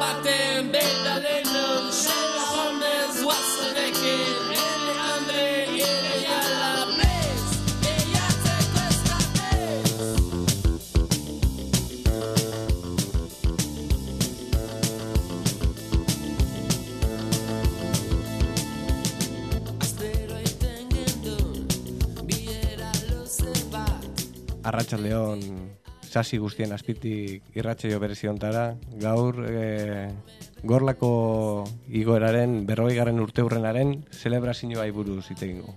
baten beta denon Sela honez guazanekin Ele Andre ere jala prez Eiatzeko eskatez Astero iten gendun Biera luze bat Arratsaldeon sasi guztien azpitik irratsaio bereziontara, gaur Gorlako igoeraren 40. urteurrenaren zelebrazioai buruz hitz egingo.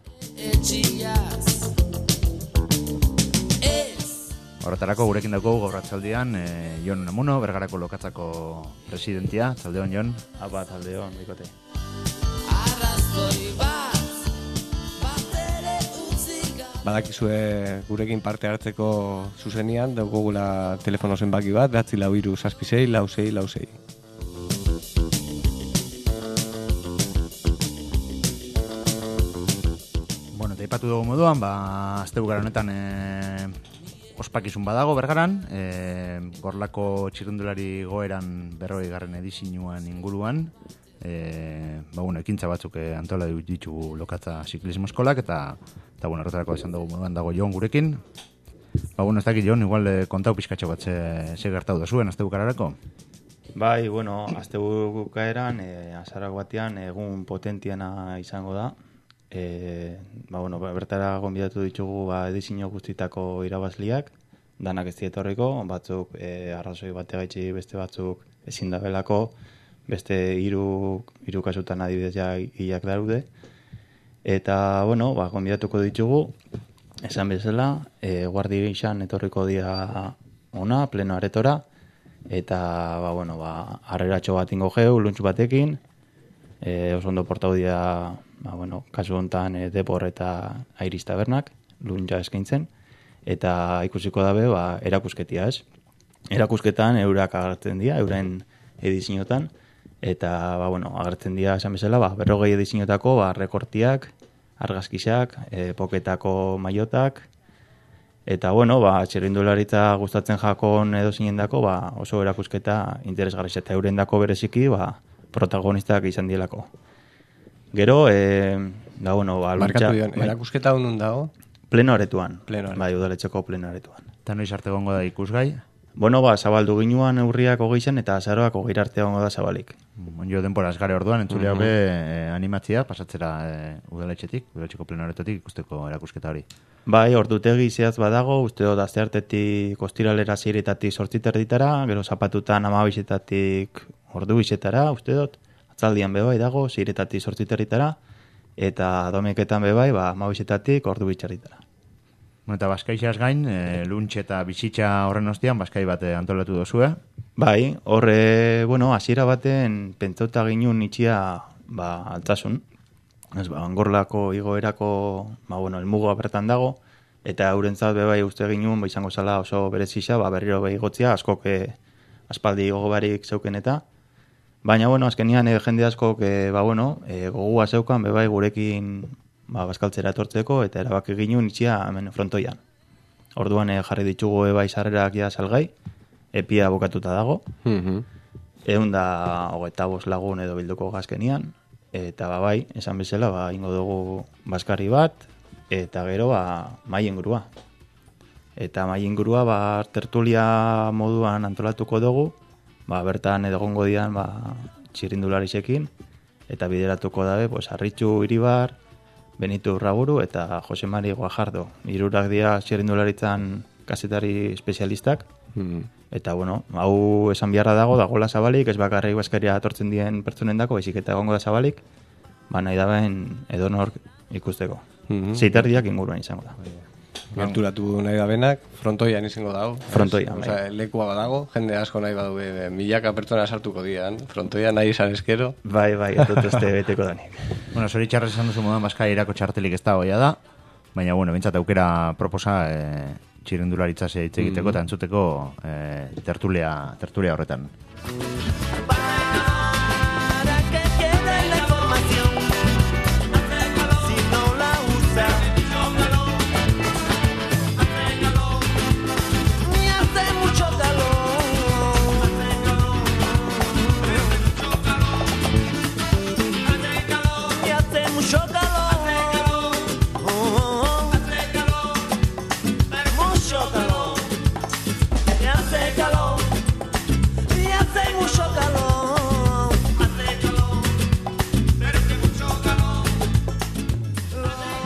Horretarako gurekin daukagu gaur arratsaldean Jon Unamuno, Bergarako lokatzako presidentia. Zaldeon, Jon. Apa, zaldeon, bikote. Badakizue gurekin parte hartzeko zuzenean daukagula telefono zenbaki bat 943 Bueno, taipatu dugu moduan, astebukara honetan ospakizun badago Bergaran, Gorlako txirrindulari goeran 40. edizioan inguruan, ekintza batzuk antolatu ditugu lokatza ziklismo eskolak eta horretarako esan dugu moduan dago Jon gurekin. Ez dakit Jon, igual kontau pizkatxo bat ze gertatu da zuen astebukararako? Bai, astebukaeran, azarak batean egun potentiana izango da. Bertara gonbidatu ditugu edizio guztitako irabazliak, danak ez dietorriko, batzuk arrazoi bategaitzi beste batzuk ezin da belako, beste hiru kasutan adibidez ja hilak daude. Eta, gonbidatuko ditugu, esan bezala, guardi gixan etorriko dira ona, pleno aretora, eta, harreratxo bat ingo geu, luntz batekin, oso ondo portau dira, kasu honetan Depor eta Airis tabernak, luntza eskaintzen, eta ikusiko dabe, erakusketia ez. Erakusketan eurak agertzen dira, euren ediziotan, eta, agertzen dira esan bezala, 40 edizioetako, rekortiak, argazkisak, poketako maiotak, eta, txirrindularitza gustatzen jakon edo zinendako, oso erakusketa interesgarri eta eurendako bereziki, protagonistak izan dielako. Gero, Markatu dion, erakusketa honun dago? Pleno aretuan. Bai, udaletxeko pleno aretuan. Eta noiz arte gongo da ikusgai? Zabaldu ginuan urriak 20 eta azaroak 20 arte gongo da zabalik. Jo denporaz gare orduan, entzulea animatzia, pasatzera udaletxeko pleno aretotik ikusteko erakusketa hori. Bai, ordutegi zehaz badago, uste dut asteartetik ostiralera 6:00 8:30, gero zapatutan 12:00 ordu 2:00, uste dut, atzaldian bebai dago, 6:00 8:30, eta domeketan bebai, 12:00 ordu 2:00. Eta Baskaixaz gain, luntx eta bizitza horren ostean, Baskai bat antolatu dozue? Bai, horre, hasiera baten pentsauta ginun itxia, altzasun. Gorlako igoerako, elmugoa bertan dago, eta eurentzat bebai uste ginun, izango zala oso berezisa, berriro behigotzia, askok aspaldi gogobarik zeuken eta. Baina, azkenian jende askok, gogua zeukan, bebai gurekin bazkaltzera etortzeko, eta erabaki ginun itxia hemen frontoian. Orduan jarri ditugu bai sarrerak ja salgai, epia bukatuta dago, 125 lagun edo bilduko gazkenian, eta esan bezala, ingo dugu baskarri bat, eta gero mai ingurua. Eta mai ingurua tertulia moduan antolatuko dugu, bertan egongo dian txirrindularisekin, eta bideratuko dabe, Arritxu Iribar, Benito Urraburu eta Jose Mari Guajardo. Hirurak dira txirrindularitzan kazetari espezialistak. Eta, hau esan biharra dagola zabalik, ez bakarrik Baskaria atortzen dien pertsonendako, baizik eta egongo da zabalik, nahi daben edonor ikusteko. 6:30 inguruan izango da. Gerturatu nahi dabenak, frontoian izango dago. Frontoian, lekua badago, jende asko nahi badu, milaka pertsona sartuko dian, frontoian nahi izan eskero. Bai, dut este beteko danik. Zoritxarrez esan duzu moduan Baskairako txartelik ez da hoia da, baina, bintzat aukera proposa txirrindularitza hitz egiteko eta entzuteko tertulia horretan.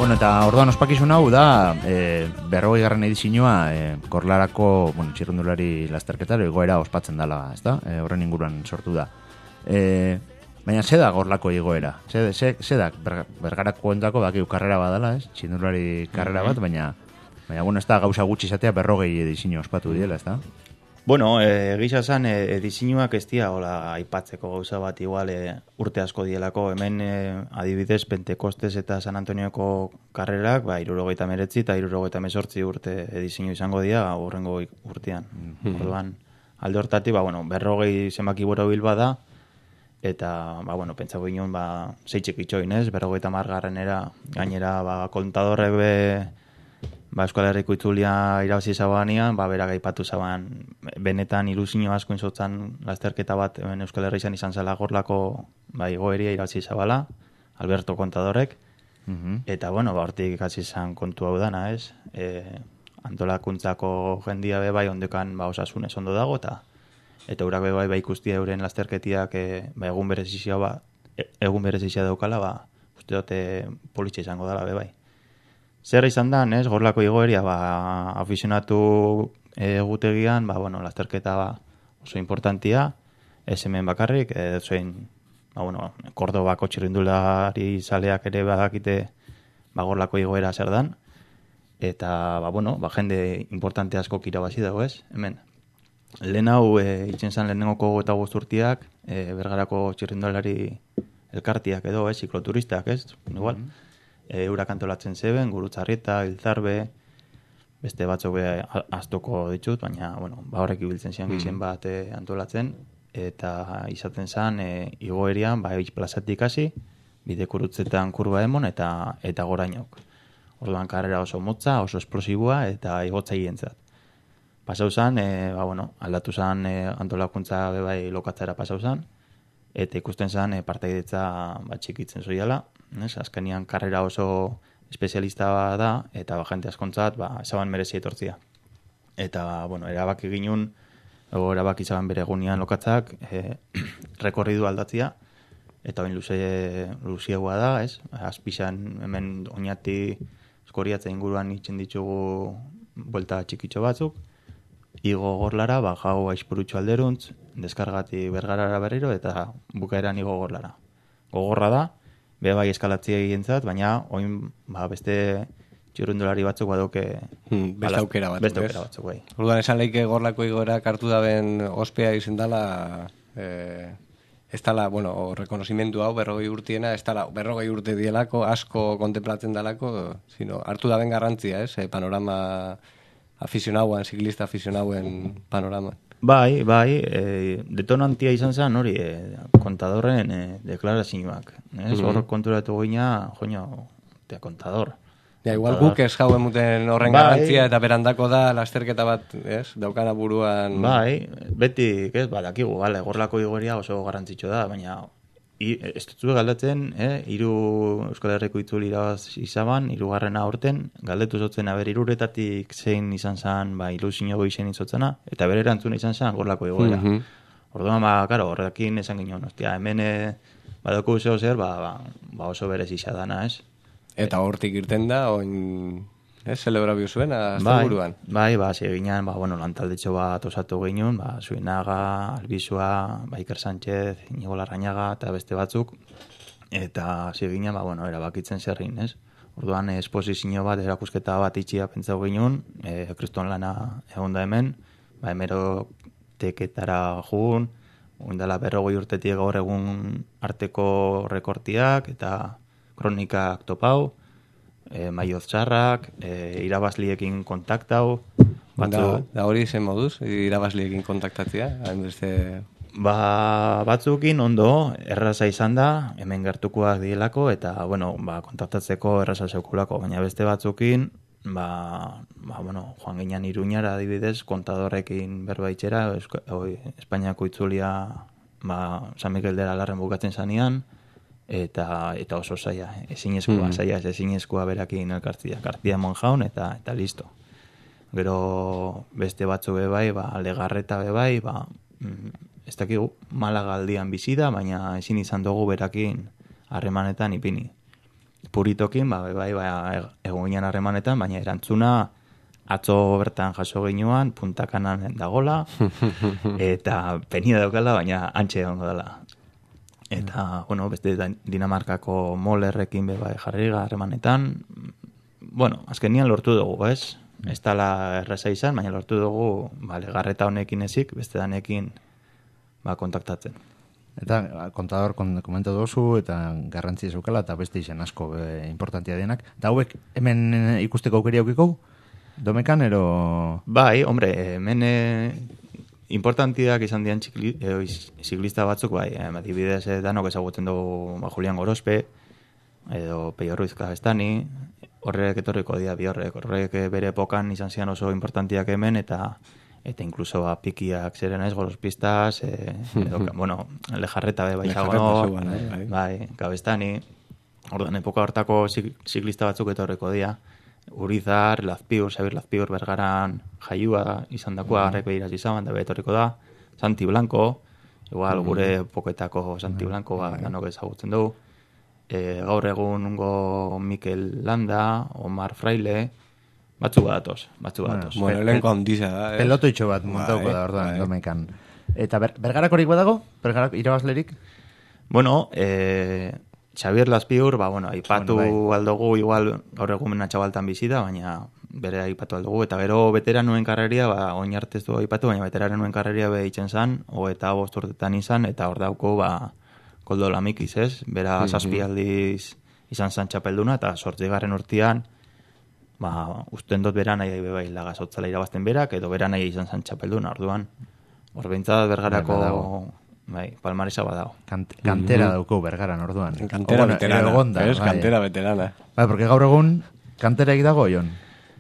Bueno, eta orduan ospakizun hau da 40. edizioa Korlarako, txirrindulari lasterketaro igoera ospatzen dela, ezta? Horren inguruan sortu da. Baina ze da Gorlako igoera? Ze da Bergarako entzako bakiu karrera badala, ez? Txirrindulari karrera bat, baina bueno, ez da gauza gutxi izatea 40 edizio ospatu diela, ezta? Bueno, gisa zan, edizioak ez dira, hola, aipatzeko gauza bat igual urte asko dielako. Hemen adibidez Pentekostes eta San Antonioko karrerak, 69 eta 78 urte edizio izango dira, horrengo urtean. Orduan, alde hortatik, 40 zenbaki borobil bada, eta, pentsako ginen, zeitxek itxoin, ez? 50 gainera, kontadorrek Euskal Herriko itzulia irabazi zabanean, berak aipatu zaban, benetan ilusio asko inzotzan lasterketa bat Euskal Herri izan zela Gorlako igoeria irabazi zabala, Alberto Kontadorrek, eta, hortik hasi izan kontu hau dana, ez? Antolakuntzako jendia bai ondekan osasunez ondo dago, eta urak bai ikustia euren lasterketiak egun berezizia daukala, uste dute politxe izango dela bai. Zer izan da, Gorlako igoeria, afizionatu egutegian, lasterketa oso importantia, ez hemen bakarrik, zein, Kordobako txirrindulari zaleak ere badakite Gorlako igoera zer dan, eta, jende importante asko irabazi dago, ez, hemen. Lehen hau, itzen zan lehenengoko eta guzturtiak, Bergarako txirrindulari elkartiak edo, zikloturistak, ez, igual. Eurak antolatzen zeben, Gurutzarrieta, Ilzarbe, beste batzuk aztoko ditut, baina, horrek ibiltzen zian gizen bat antolatzen, eta izaten zen igoerian, plazatik hasi, bidekurutzetan kurba emon, eta gorainok. Orduan karrera oso motza, oso esplosiboa, eta igotzaientzat. Pasau zen, aldatu zen antolakuntza bebai lokatzera pasau zen, eta ikusten zen partaidetza txikitzen zoiala, azkenean karrera oso espezialista da, eta jente askontzat, ezaban merezi etortzia. Eta, erabaki ginen, erabaki zaban bere egunean lokatzak, rekorridu aldatzia, eta bain luziagoa da, ez? Azpizan hemen oinati eskoriatza inguruan itzen ditugu buelta txikitxo batzuk, igo Gorlara, jau aizpurutxo alderuntz, deskargati Bergarara berriro, eta bukaeran igo Gorlara. Gogorra da, bai eskalatzia egintzat, baina oin beste txirrindulari batzuk baduke beste aukera batzuk, bai. Orduan esan leike Gorlako igoera kartu daben ospea izen dala, ez dala, rekonosimentu hau 40 urtiena, ez dala 40 urte dielako, asko kontemplatzen dalako, sino hartu daben garrantzia, ez? Panorama afizionauan, ziklista afizionauen panorama. Bai, detonantia izan zen hori, kontadorren deklarazioak. Hor konturatu gina, kontador. Igual guk ez jauen muten horren garrantzia eta berandako da lasterketa bat, ez? Daukana buruan... Bai, beti, dakigu, Gorlako igoeria oso garrantzitsu da, baina ez dut galdatzen, Euskal Herriko itzuli irabaz izaban, 3. aurten, galdetu zotzen, iruretatik zein izan zen, ilusio goizen izotzena, eta bere erantzuna izan zen Gorlako igoera. Orduan, horrekin esan ginen, hemen badoko zeo zer, oso berez izadana, ez? Eta hortik irten da, oin... Celebrabio zuen, azte buruan. Bai, ziginan, lantaldetxo bat osatu ginen, Zuinaga, Albizua, Iker Sánchez, Inigo Larrañaga, eta beste batzuk, eta ziginan, erabakitzen zerrin, ez? Orduan, esposizio bat, erakusketa bat itxia pentsau ginen, kriston lana egon da hemen, hemeroteketara jugun, oindala 40 urtetik gaur egun arteko rekortiak, eta kronikak topau, maioz txarrak, irabazliekin kontaktau. Da hori zen moduz, irabazliekin kontaktatzea? Batzukin ondo, erraza izan da, hemen gertukoak dielako, eta, kontaktatzeko erraza zeukulako, baina beste batzukin, joan ginean Iruñara adibidez, kontadorrekin berbaitxera, Espainiako itzulia San Miguel de la Larren bukatzen zanean, eta oso zaila, ezinezkoa berakin elkartzia, kartzia monjaun, eta listo. Gero beste batzu bebai, Legarreta bebai, ez dakigu, Malaga aldian bizi da, baina ezin izan dugu berakin harremanetan ipini. Puritokin, egon ginen harremanetan, baina erantzuna atzo bertan jaso ginuan, puntakanan dagola, eta penia daukala, baina antxe egongo dela. Eta, bueno, beste Dinamarkako molerrekin jarri harremanetan, bueno, azkenian lortu dugu, ez? Ez dala erreza izan, baina lortu dugu, garreta honekin ezik, beste danekin kontaktatzen. Eta kontador komentatu duzu, eta garrantzi zeukala, eta beste izan asko importantia denak. Eta hauek hemen ikusteko aukeri aukiko? Domekan, ero... Bai, hombre, hemen importantiak izan dian ziklista batzuk, adibidez danok ezagutzen dugu Julian Gorospe, edo Peio Ruiz Kabestani, horrek etorriko dira bi horrek bere epokan izan zian oso importantiak hemen, eta inkluso pikiak zeren ez, Gorospistas, bueno, Lejarreta Zagonok, Kabestani, orduan epoka hortako ziklista batzuk etorriko dira, Urizar, Lazpiur, Xabir Lazpiur Bergaran jaiua izan dakoa, garrek behiraz izan, da betorriko da, Santi Blanco, igual gure poketako Santi Blanco danok ezagutzen dugu, gaur egungo Mikel Landa, Omar Fraile, batzuk badatoz. Bueno, elenko handiza da. Pelotoitxo bat montauko da, orduan, Domekan. Eta Bergarakorik badago? Bergarak irabazlerik? Bueno, Xavier Lazpiur, aipatu aldugu, igual gaur egun menatxabaltan bizita, baina bere aipatu aldugu, eta gero veteranuen karreria, oin artez du aipatu, baina veteranuen karreria behitzen zan, eta 5 urtetan izan, eta hor dauko, Koldo Lamikiz, ez? Bera zazpi aldiz izan zan txapelduna, eta 8. urtean, usten dut bera nahi bai lagazotzala irabazten berak, edo bera nahi izan zan txapelduna, orduan. Hor behintzat Bergarako... palmaresa badago. Kantera dauko Bergaran, orduan. Kantera veterana. Kantera veterana. Porque gaur egun kantera dago, Jon.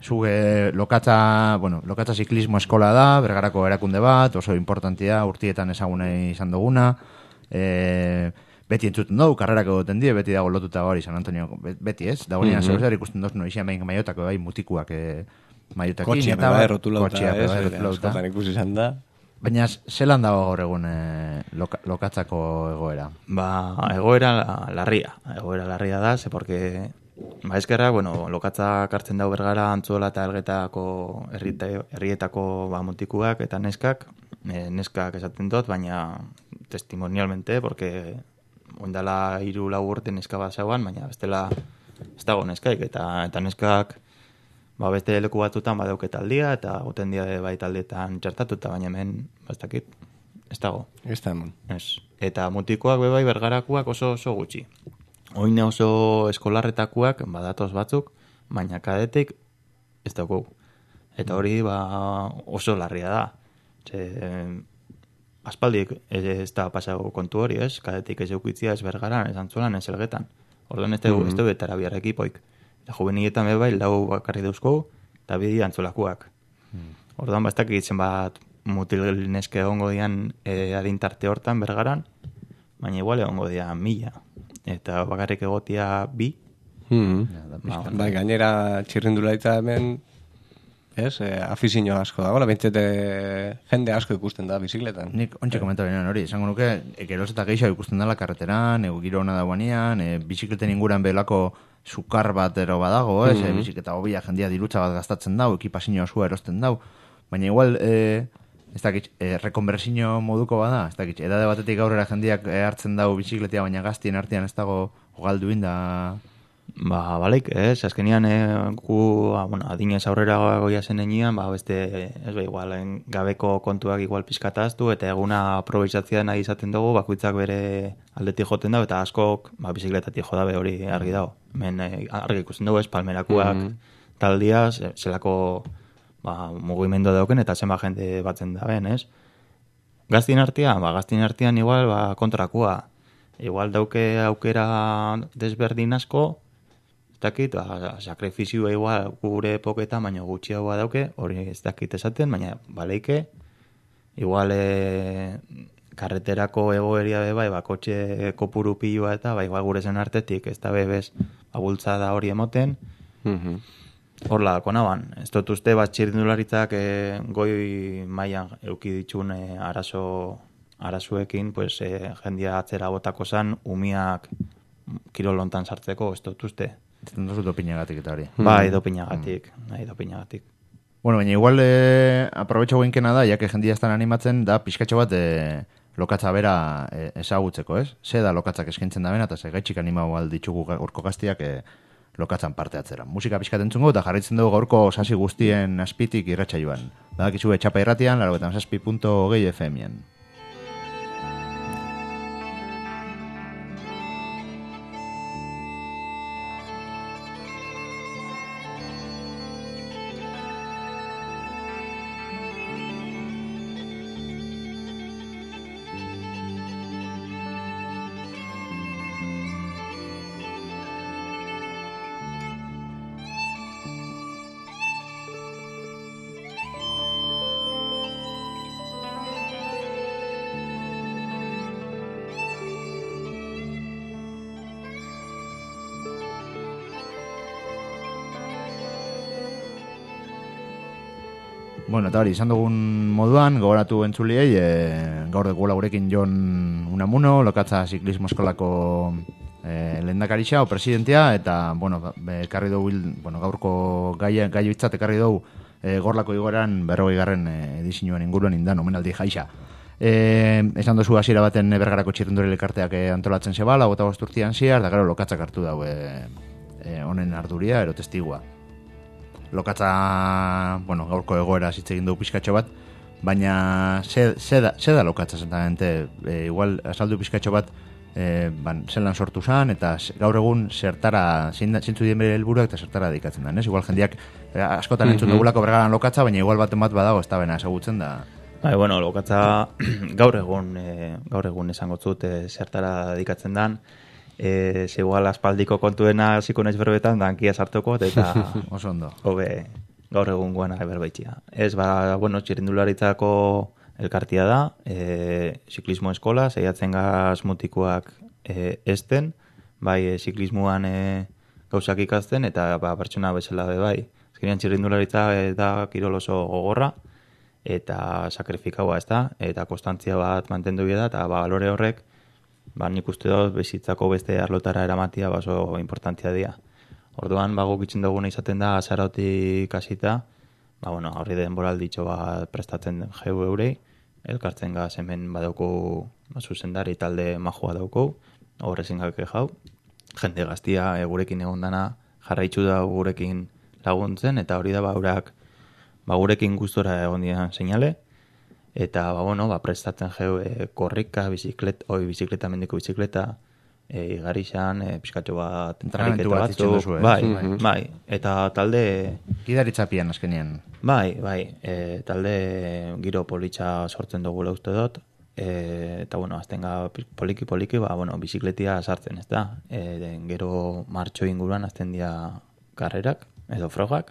Zuge lokatza ziklismo eskola da, Bergarako erakunde bat, oso importantia, urtietan ezaguna izan duguna. Beti entzuten dugu, karrerak egoten die, beti dago lotuta hori San Antonio, beti ez? Dago nian zer ikusten duz, izan behin maiotako mutikuak maiotakin. Kotxia beba errotulauta, askotan ikusi izan da. Baina, zelan dago gaur egun lokatzako egoera? Egoera larria da, porque eskerra, lokatza kartzen dago Bergara Antzuola eta Elgetako herrietako mutikuak eta neskak esaten dut, baina testimonialmente, porque oindala 3-4 urte neska bat zauan, baina bestela ez dago neskaik, eta neskak beste leku batzutan badauket aldia, eta goten dia bai taldeetan txertatuta, baina hemen ez dakit, ez dago. Ez da hemen. Eta mutikoak bai Bergarakoak oso gutxi. Oine oso eskolarretakoak badatoz batzuk, baina kadetik ez dago. Eta hori oso larria da. Aspaldik ez da pasago kontu hori, ez? Kadetik ez eukitzia ez Bergaran, ez Antzuolan, ez Elgetan. Orduan ez du betara biar ekipoik. Eta juvenietan bai 4 bakarri dauzko, eta 2 Antzuolakoak. Orduan bastak egitzen bat mutil neske egongo dian adintarte hortan Bergaran, baina igual egongo dian 1000. Eta bakarrik egotia 2. Gainera txirrindularitza hemen, afizio asko dago, jende asko ikusten da bizikletan. Nik ontsi komenta benean hori, esango nuke, geroz eta gehiago ikusten dela karreteran, giro hona dagoanean, bizikleten inguran belako sukar bat ero badago, bizikleta hobia jendia dirutza bat gastatzen dau, ekipazio osua erosten dau, baina igual, ez dakit, rekonversino moduko bada, ez dakit, edade batetik aurrera jendiak hartzen dau bizikletea, baina gaztien artean ez dago galdu inda... Balaik, ez, azkenian adinez aurrera goia zen enean, beste, igual, gabeko kontuak igual pizkataztu, eta eguna aprobizatzea nahi izaten dugu, bakoitzak bere aldetik joten dago, eta askok bizikletatik jodabe hori argi dago. Hemen argi ikusten dugu, palmerakuak taldia, zelako mugimendu dauken, eta zenba jende batzen da ben, ez? Gaztien artean igual kontrakua. Igual dauke aukera desberdin asko, dakit, sakrifizioa igual gure epoketa, baina gutxiagoa dauke, hori ez dakit esaten, baina baleike, igual karreterako egoeria bai, kotxe kopuru pilua eta igual gure zen artetik, ez da bebez bultzada hori emoten, horla dako naban. Ez dut uste bat txirrindularitzak goi mailan euki ditxun arazoekin, jendia atzera botako zan, umiak kirol hontan sartzeko, ez dut uste. Zuten dozu dopinagatik eta hori. Bai, dopinagatik. Bueno, baina igual aprobetxo guinkena da, jake jendia estan animatzen, da pixkatxo bat lokatza bera ezagutzeko, ez? Ze da lokatzak eskaintzen da bena, eta ze gaitxik animau alditzugu gaurko gaztiak lokatzan parte atzera. Musika pixkat entzungo, eta jarraitzen dugu gaurko sasi guztien azpitik irratxa joan. Badakizu etxapa irratian, 97.6 FM-en. Bueno, eta hori, izan dugun moduan, gogoratu entzuliei, gaur dugula gurekin Jon Unamuno, lokatza ziklismo eskolako lehendakarixa o presidentia, eta, bueno, ekarri dugu, gaurko gai bitzat ekarri dugu gorlako igoeran 40. Edizioan inguruan indan, omenaldi jaixa. Esan duzu hasiera baten Bergarako txirrindulari elkarteak antolatzen zebala, 25 urtean ziar, da gero lokatzak hartu dago honen arduria, ero testigua. Lokatza, gaurko egoera hitz egin dugu pixkatxo bat, baina ze da lokatza zentamente, igual azaldu pixkatxo bat, zelan sortu zan, eta gaur egun zertara, zintzu dien bere helburuak eta zertara dedikatzen da, ez? Igual jendiak askotan entzun dugulako Bergaran lokatza, baina igual baten bat badago ez da bena ezagutzen da. Bai, lokatza gaur egun esango zut zertara dedikatzen dan, igual aspaldiko kontuena hasiko naiz berbetan, da hankia sartuko, eta oso ondo. Hobe, gaur egun guana berbaitxia. Ez, txirrindularitzako elkartia da, ziklismo eskola, zeiatzen gaz mutikoak esten, bai, ziklismoan gauzak ikasten, eta pertsona bezala be bai. Azkenean txirrindularitza da kirol oso gogorra, eta sakrifikaua ez da, eta konstantzia bat mantendu da, eta balore horrek, nik uste dut bizitzako beste arlotara eramatia oso importantzia dira. Orduan, guk itzen duguna izaten da, azarautik hasita, horri denboralditxo bat prestatzen jau eurei, elkartzen gaz hemen badauko zuzendari talde majua dauko, horrezin gabeke jau, jende gaztia gurekin egon dana jarraitzu da gurekin laguntzen, eta hori da gurekin gustora egon dian seinale, eta prestatzen jau korrika, bizikleta, mendiko bizikleta, igarixan, pixkatxo bat, entrenamentu bat itzen duzu, bai, eta talde... Gidaritzapian azkenean. Bai, talde giro politxa sortzen dugula uste dut, eta aztenga poliki, bizikletia sartzen, ez da? Gero martxo inguruan azten dira karrerak, edo frogak,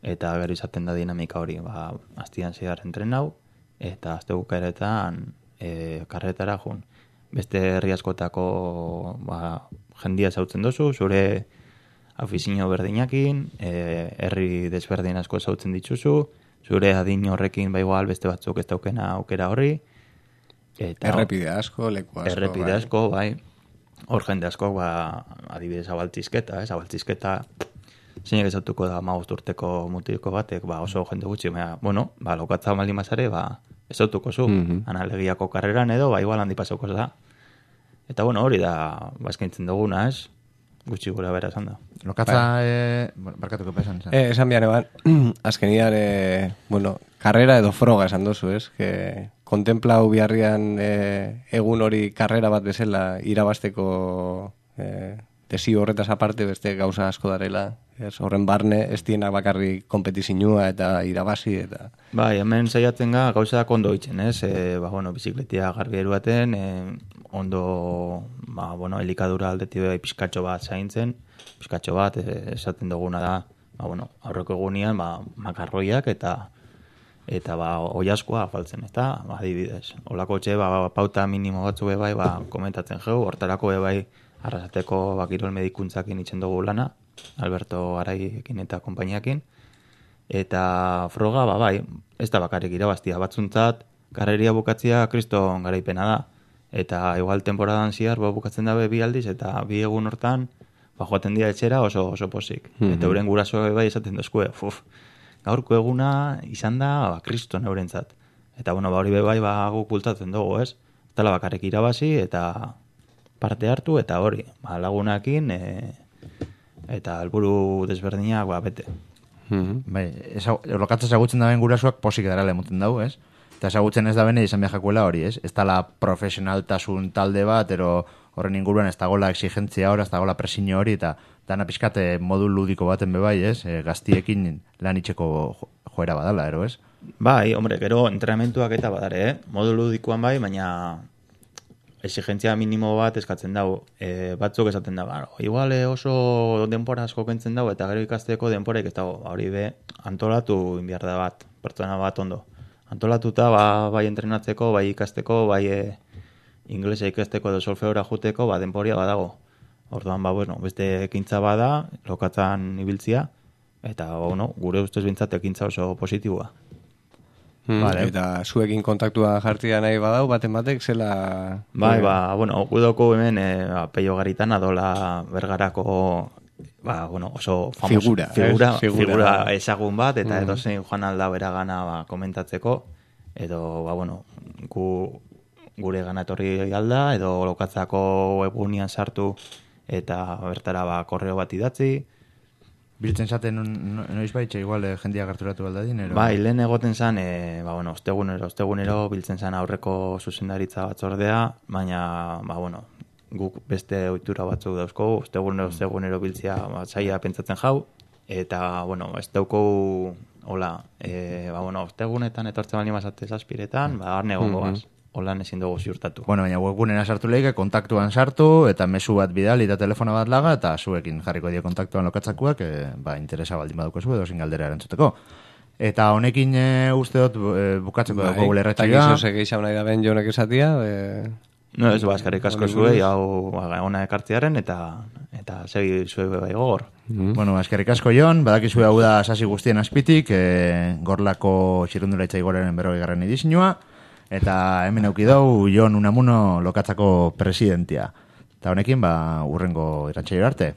eta gero izaten da dinamika hori, aztian zehar entrenau, eta azte bukaeretan karretara jun. Beste herri askotako jendia zautzen dozu, zure afizio berdinakin, herri desberdin asko zautzen dituzu, zure adin horrekin igual beste batzuk ez daukena aukera horri. Errepide asko, leku asko. Errepide asko, bai. Hor jende asko, adibidez abaltzizketa, abaltzizketa zeinek ezautuko da 15 urteko mutiko batek, oso jende gutxi, lokatza maldi mazare, ezautuko zu, analegiako karreran edo, igual handi pasauko da. Eta hori da, eskaintzen duguna, ez? Gutxi gura bera esan da. Lokatza, barkatuko pesan. Esan bian eban, azkenian, karrera edo froga esan dozu, ez? Kontemplau biharrian egun hori karrera bat bezala irabasteko desio horretaz aparte beste gauza asko darela. Horren barne, ez dienak bakarri kompetizinua eta irabazi eta... Bai, hemen saiatzen gauza ondo itzen, ez? Bizikletia garbi eruaten, ondo, elikadura aldetik pizkatxo bat zaintzen, pizkatxo bat esaten duguna da, aurreko egunean, makarroiak eta oiaskoa faltzen, eta adibidez. Olako txe, pauta minimo batzu bai, komentatzen jau, hortarako bai, arrasateko kirol medikuntzakin itzen dugu lana, Alberto Araiekin eta konpainiakin, eta froga, bai, ez da bakarrik irabaztia batzuntzat, karreria bukatzia kriston garaipena da, Eta igual temporadan zihar, bukatzen dabe 2 aldiz, eta 2 egun hortan, joaten dira etxera oso posik. Eta euren gurasoek bai esaten dozkue, gaurko eguna izan da, kriston eurentzat. Eta, hori bai, guk bultatzen dugu, ez? Tala bakarrik irabazi, eta parte hartu, eta hori, lagunakin, eta helburu desberdinak, bete. Bai, lokatza ezagutzen daben gurasuak posik darala emoten dago, ez? Eta ezagutzen ez da bene izan behakuela hori, ez? Ez dala profesionaltasun talde bat, ero horren inguruan ez dagoela exigentzia hori, ez dagoela presiño hori, eta dana pixkate modu ludiko baten bebai, ez? Gaztiekin lan itxeko joera badala, ero, ez? Bai, hombre, gero entrenamentuak eta badare, modu ludikoan bai, baina exigentzia minimo bat eskatzen dago. Batzuk esaten dago, igual oso denpora asko kentzen dago, eta gero ikasteko denporaik ez dago, hori antolatu inbiar da bat, pertsona bat ondo. Antolatuta, bai entrenatzeko, bai ikasteko, bai inglesa ikasteko edo solfeora juteko, denporia badago. Orduan, beste ekintza bada, lokatzan ibiltzia, eta, gure ustez bintzat ekintza oso positiboa. Vale. Eta zuekin kontaktua jartia nahi badau, baten batek, zela... Bai, gudoko hemen Peio Garitan adola Bergarako oso famoso figura ezagun bat, eta edozein joan alda beragana komentatzeko, edo, gure gana etorri alda, edo lokatzako webunian sartu, eta bertara korreo bat idatzi. Biltzen zaten noiz baitxe, igual jendia gerturatu baldadin, ero? Bai, lehen egoten zan, ostegunero biltzen zan aurreko zuzendaritza batzordea, baina, guk beste ohitura batzuk dauzko, ostegunero biltzea zaila pentsatzen jau, eta, ez dauko, ostegunetan etortzen bali mazate zazpiretan, arne gongoaz. Holan ezin dugu ziurtatu. Baina webgunera sartu lehike, kontaktuan sartu, eta mezu bat bidali eta telefona bat laga, eta zuekin jarriko dio kontaktuan lokatzakuak, interesa baldin baduko zu edo zingaldera erantzuteko. Eta honekin uste dut bukatzeko dugu gulerratxia. Eta gizo segeixau nahi da ben jonek esatia. No, ez eskarrik asko zuei, hau ona ekartziaren, eta segi zuei bai gogor. Eskerrik asko Jon, badakizue hau da sasi guztien azpitik, Gorlako txirrundulaitza igoraren 40. edizioa, eta hemen aukidau Jon Unamuno lokatzako presidentia. Eta honekin, urrengo irratsaio arte.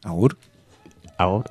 Agur. Agur.